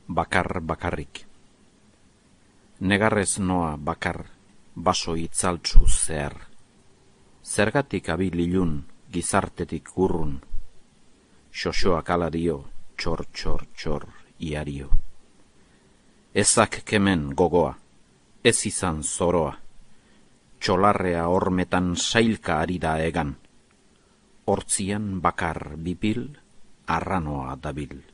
bakar bakarrik. Negarrez noa bakar, baso itzaltzu zehar. Zergatik abil ilun, gizartetik urrun. Xoxoak ala dio, txor, txor, txor, iario. Ezak kemen gogoa, ez izan zoroa. Txolarrea hormetan sailka ari da egan. Hortzian bakar bipil, arranoa dabil.